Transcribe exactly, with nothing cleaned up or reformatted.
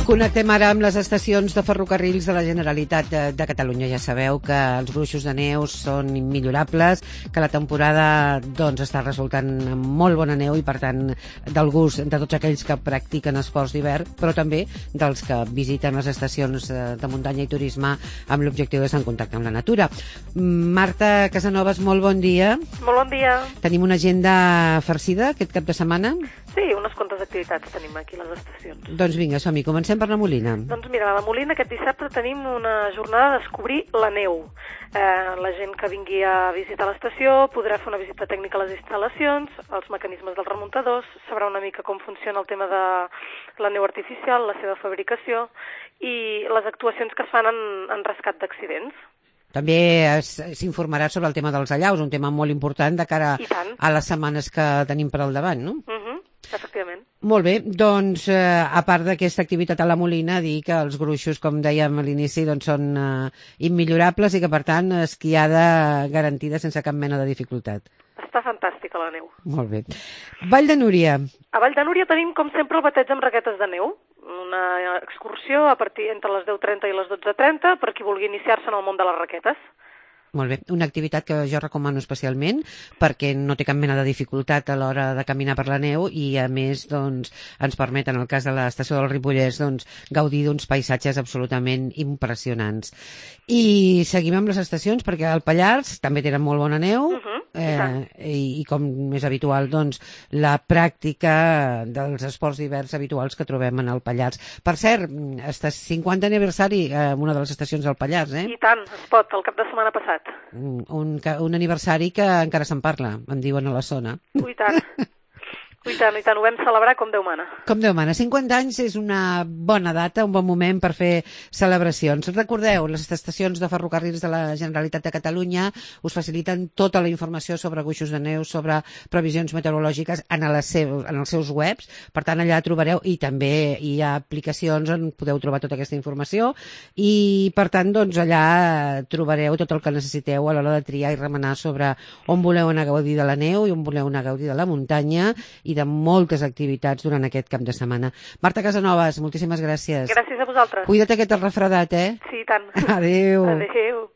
Connectem ara amb les estacions de ferrocarrils de la Generalitat de, de Catalunya. Ja sabeu que els gruixos de neu són immillorables, que la temporada doncs, està resultant molt bona neu i, per tant, del gust de tots aquells que practiquen esports d'hivern, però també dels que visiten les estacions de muntanya i turisme amb l'objectiu d'estar en contacte amb la natura. Marta Casanovas, molt bon dia. Molt bon dia. Tenim una agenda farcida aquest cap de setmana? Sí, unes quantes activitats tenim aquí a les estacions. Doncs vinga, som-hi. Comencem per la Molina. Doncs mira, a la Molina aquest dissabte tenim una jornada de descobrir la neu. Eh, la gent que vingui a visitar l'estació podrà fer una visita tècnica a les instal·lacions, als mecanismes dels remuntadors, sabrà una mica com funciona el tema de la neu artificial, la seva fabricació i les actuacions que es fan en, en rescat d'accidents. També s'informarà sobre el tema dels allaus, un tema molt important de cara a les setmanes que tenim per al davant, no? Uh -huh, efectivament. Molt bé, doncs, eh, a part d'aquesta activitat a la Molina, dir que els gruixos, com dèiem a l'inici, doncs són eh, immillorables i que, per tant, esquiada garantida sense cap mena de dificultat. Està fantàstica la neu. Molt bé. Vall de Núria. A Vall de Núria tenim, com sempre, el bateig amb raquetes de neu. Una excursió a partir entre les deu trenta i les dotze trenta per qui vulgui iniciar-se en el món de les raquetes. Molt bé, una activitat que jo recomano especialment perquè no té cap mena de dificultat a l'hora de caminar per la neu i, a més, doncs, ens permet, en el cas de l'estació del Ripollès, doncs, gaudir d'uns paisatges absolutament impressionants. I seguim amb les estacions perquè al Pallars també tenen molt bona neu. Uh-huh. Eh, i, i com és habitual, doncs, la pràctica dels esports d'hivern habituals que trobem en el Pallars. Per cert, està cinquanta aniversari a una de les estacions del Pallars, eh? I tant, es pot, el cap de setmana passat. Un, un, un aniversari que encara se'n parla, em diuen a la zona. Ui, tant. I tant, i tant, ho vam celebrar com Déu mana. Com Déu mana. cinquanta anys és una bona data, un bon moment per fer celebracions. Recordeu, les estacions de ferrocarrils de la Generalitat de Catalunya us faciliten tota la informació sobre gruixos de neu, sobre previsions meteorològiques en, les seus, en els seus webs. Per tant, allà trobareu, i també hi ha aplicacions on podeu trobar tota aquesta informació, i per tant, doncs, allà trobareu tot el que necessiteu a l'hora de triar i remenar sobre on voleu anar a gaudir de la neu i on voleu anar a gaudir de la muntanya i de moltes activitats durant aquest cap de setmana. Marta Casanovas, moltíssimes gràcies. Gràcies a vosaltres. Cuida't aquest refredat, eh? Sí, tant. Adéu. Adéu.